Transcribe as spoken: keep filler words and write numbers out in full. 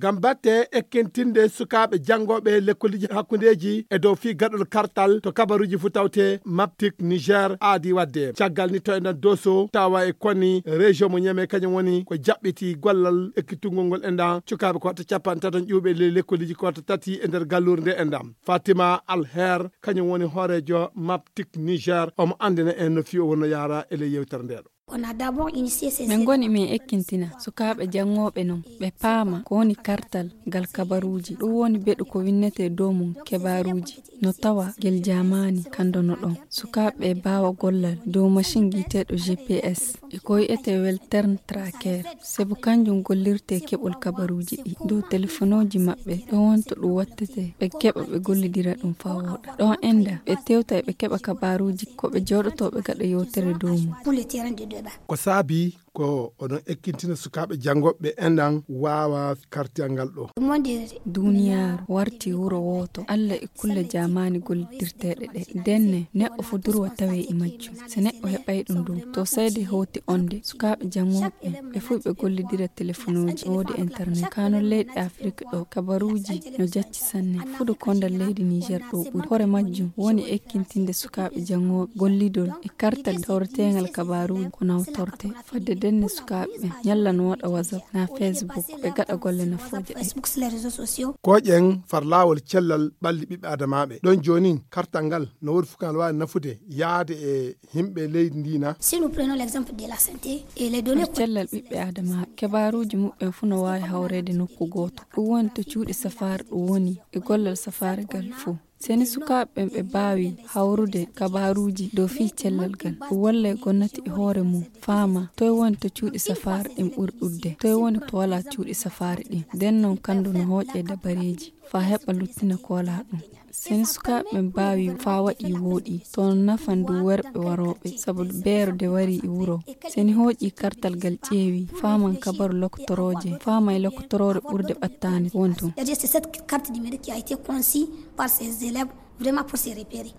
Ngam batte ekkintinde sukaaɓe janngooɓe lekkoliji hakkundeeji e dow fii gaɗol kartal to kabaruuji fuu tawte, Maptik Niger aadi waɗde. Caggal ni to e nder Doso tawa e koni région mo Niamey kañum woni ko jaɓɓiti gollal ekkitungol ngol enɗam cukaaɓe ko watta capanɗe tati ƴuuɓe ley lekkoliji ko watta tati e nder galluure nde enɗam. Fatima Alher kañum woni hooreejo Maptik Niger, omo anndina en no fii o wonno yaara e ley yewtere nde ɗo. Min ngoni min ekkintina sukaaɓe janngooɓe non ɓe paama ko woni kartal ngal kabaruuji. Ɗum woni beɗu ko winnetee dow mum kebaaruuji. No tawa gel jaamaani kanndo no ɗon. Sukaaɓe ɓe mbaawa gollal dow macin giiteeɗo G P S. E ko wi'etee Weltern Tracker. Sabu kanjum gollirtee keɓol kabaruuji ɗi dow telefonooji maɓɓe. Ɗon wonto ɗum wattetee ɓe keɓa ɓe gollidira ɗum faa wooɗa. Ɗon enɗam ɓe tewta e ɓe keɓa kabaruuji ko ɓe jooɗotoo ɓe gaɗa yewtere dow mum. Ko saabii ko oɗon ekkintina sukaaɓe janngooɓe enɗam waawa kartal ngal ɗo. Duniyaaru warti wuro wooto. Alla e kulle jaamaani gollidirteeɗe ɗe. Ndenne neɗɗo fuu durwa tawee e majjum. So neɗɗo heɓay ɗum ɗum, to seede hooti onde, sukaaɓe janngooɓe ɓe fuu ɓe gollidira telefonooji, woodi internet. Kaa non leyɗe Afrik ɗo, kabaruuji no jacci sanne. Fuɗo konndal leydi Niger ɗo ɓuri. Hoore majjum woni ekkintinde sukaaɓe janngooɓe gollidol e kartal tawreteengal kabaruuji ko nawtorte. Fadde ndenne sukaaɓe ɓe ñalla no waɗa WhatsApp naa Facebook, ɓe gaɗa golle nafooje ɗe. Kooƴen far laawol cellal ɓalli ɓiɓɓe adamaaɓe. Ɗon joonin kartal ngal no woodi fuu ngal waawi nafude yaade e yimɓe leydi ndi na? Si nous prenons l'exemple de la santé et les données. Cellal ɓiɓɓe adamaaɓe, kebaaruuji muɓɓen fuu no waawi hawreede nokku gooto. Ɗum woni to cuuɗi safaari ɗum woni e gollal safaari ngal fuu. Seni sukaaɓe ɓen ɓe mbaawi hawrude kabaaruuji dow fii cellal ngal, ɗum wallay gomnati e hoore mum faama toy woni to cuuɗi safaari ɗin ɓuri ɗuɗde, toy woni to walaa cuuɗi safaari ɗin. Nden non kandu no hooƴe dabareeji faa heɓa luttina ko walaa ɗum. Seni sukaaɓe ɓen mbaawi faa waɗi wooɗi, to no nafan du worɓe warooɓe, sabu beero de warii e wuro. Seni hooƴi kartal ngal ƴeewi, faaman kabaru lokotorooje, faamay lokotoroore ɓurde ɓattaande won ton. C'est-à-dire, c'est cette carte numérique qui a été conçue par ces élèves vraiment pour se repérer.